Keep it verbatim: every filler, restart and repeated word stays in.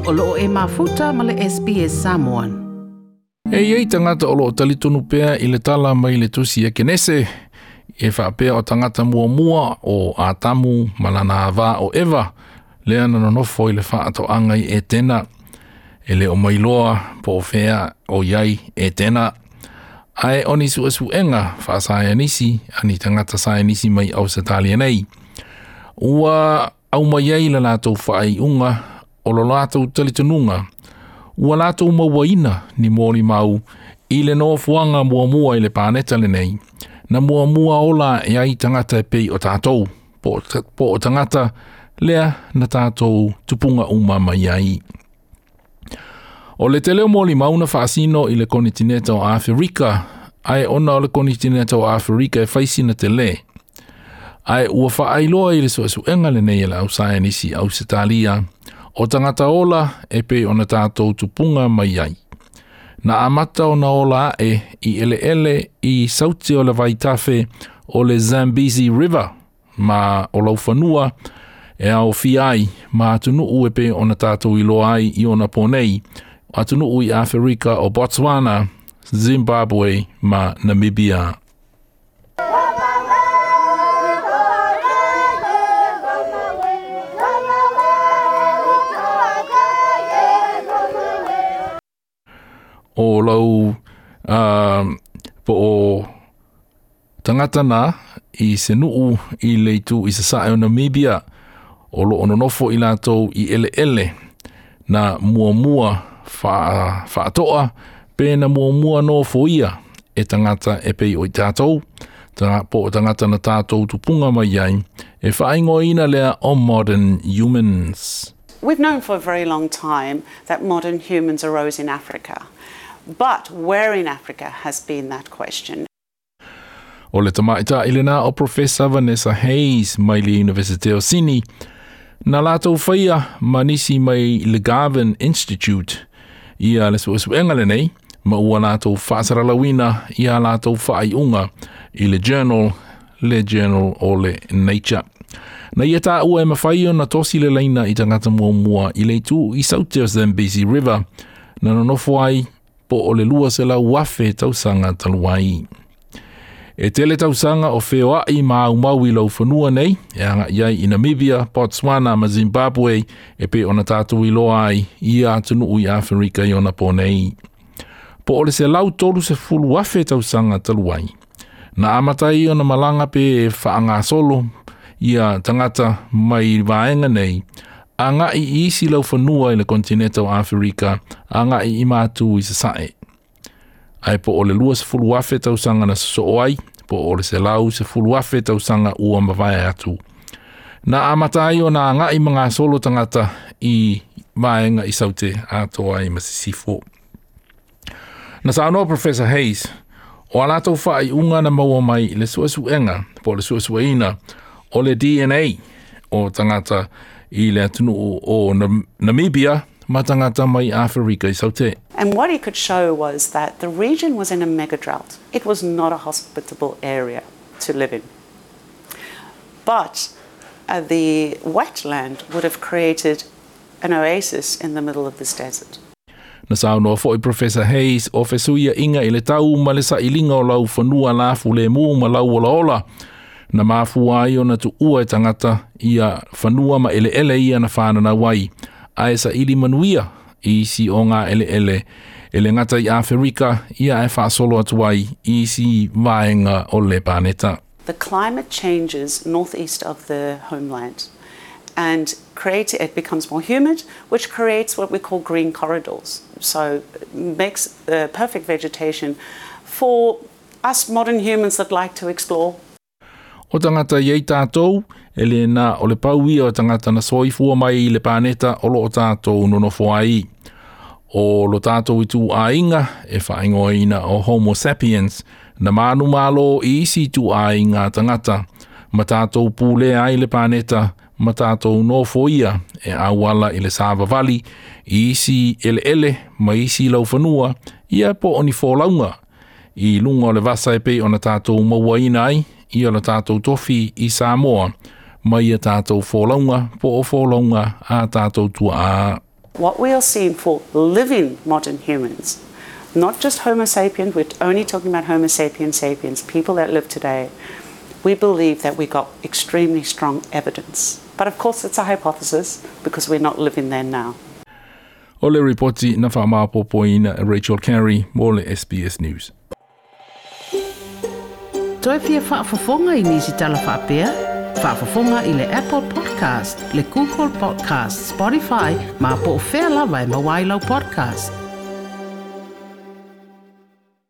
O loo e mafuta ma le S B S Samoan. E iei tangata o loo talitonu pea i le tala mai le tusi e Kenese, e whaapea o tangata muamua o Atamu malana ava o Eva, lea na nonofo i le whaatoanga i Etena, e le o mailoa po o fea o iai Etena. Ae oni suesuenga whaasaianisi, ani tangata saianisi mai au Satalia nei. Ua au mai ai la latou whaaiunga o lo latou talitonunga, ua latou mauaina ni mōli mau i le nofoanga muamua i le pāneta lenei, na muamua ola e ai tangata e pei o tātou, po, po o tangata lea na tātou tupunga uma mai ai. O le te leo mōli mau na whaasino i le konitineta o Afrika, ai ona o le konitineta o Afrika e whaisina te le. Ai ua whaailoa i le suesuenga lenei e la au saianisi au Setalia, o tangata ola e pei ona tātou tupunga mai ai. Na amata o na ola e i ele ele i sauti o le vaitafe o le Zambezi River, ma o laufanua e au fiai ma atunuu e pei ona tātou iloa ai i ona ponei, atunuu i Afrika o Botswana, Zimbabwe ma Namibia. O lau uh, po o tangata na i se nuu i leitu i sasae o Namibia o lo ononofo i latou i ele ele na muamua wha, whaatoa pe na muamua no foia e tangata e pei o i tātou ta, po o tangata na tātou tupunga mai ai e whaingoina lea o modern humans. We've known for a very long time that modern humans arose in Africa. But where in Africa has been that question? O le tamaita i lena o Professor Vanessa Hayes mai le University o Sydney, na latou whaia manisi mai le Garvan Institute ia le suesuenga lenei, ma ua latou whaasaralawina ia latou whaaiunga i le journal, le journal o le Nature. Na ia tā ua e mawhai o na tosi le leina i tangata muamua i le itu i saute o Zambezi River, na nonofo ai po o le lua se lau wafe tausanga taluai. E tele tausanga o wheoai ma au mau i lau whanua nei, e anga iai i Namibia, Botswana ma Zimbabwe, e pe ona tātou i loa ai i atunuu i Afrika i ona po nei. Po o le se lau tolu se fulu wafe tausanga taluai. Na amatai ona malanga pe whaangasolo ia tangata mai vaenga nei, a ngai i isi lau whanua i le kontineta o Afrika, a ngai i mātu i sasae. Ai po o le lua se fulu afe tausanga na sosoo ai, po o le se lau se fulu afe tausanga ua mavae atu. Na amata ai o na ngai mga solo tangata i vaenga i saute atoa i masisifo. Na saunoa Professor Hayes, o a latou whaaiunga na maua mai i le suesuenga, po o le suesueina, o le D N A o tangata i le atunuu o Namibia ma tangata mai Afrika i saute. And what he could show was that the region was in a mega drought. It was not a hospitable area to live in. But uh, the wetland would have created an oasis in the middle of this desert. Na saunoa foi Professor Hayes o fesuia inga i le tau ma le sailinga o lau whanua lafu le mu ma lau ola ola. Na mafua ai ona tuua e tangata ia whanua ma ele ele ia na whanana wai. Ae sa ili manuia i isi o ngā ele ele. Ele ngata i Afrika ia e whaasolo atu ai i isi vaenga o le pāneta. The climate changes northeast of the homeland and create, it becomes more humid, which creates what we call green corridors. So it makes the perfect vegetation for us modern humans that like to explore. O tangata iei tātou, e le nā o le pauia o tangata na soifua mai i le pāneta o lo o tātou nonofo ai. O lo tātou i tū āinga e whaingoina o Homo sapiens, na mānu mālo i isi tū āinga tangata, ma tātou pūle ai le pāneta, ma tātou nofo ia e awala i le sāvavali, i isi ele ele ma isi laufanua, ia po o ni fōlaunga. I lunga o le vasa e pei ona tātou mauaina ai, i o la tātou tofi i Samoa, mai a tātou fōlaunga, po o fōlaunga a tātou tua a. What we are seeing for living modern humans, not just Homo sapiens, we're only talking about Homo sapiens sapiens, people that live today, we believe that we got extremely strong evidence. But of course, it's a hypothesis because we're not living there now. O le ripoti na whaamapopoina Rachel Carey mo le S B S News. Toe fia faafofoga i nisi tala faapea? Faafofoga i le Apple Podcast, le Google Podcast, Spotify, ma po o fea lava e maua ai lau podcast.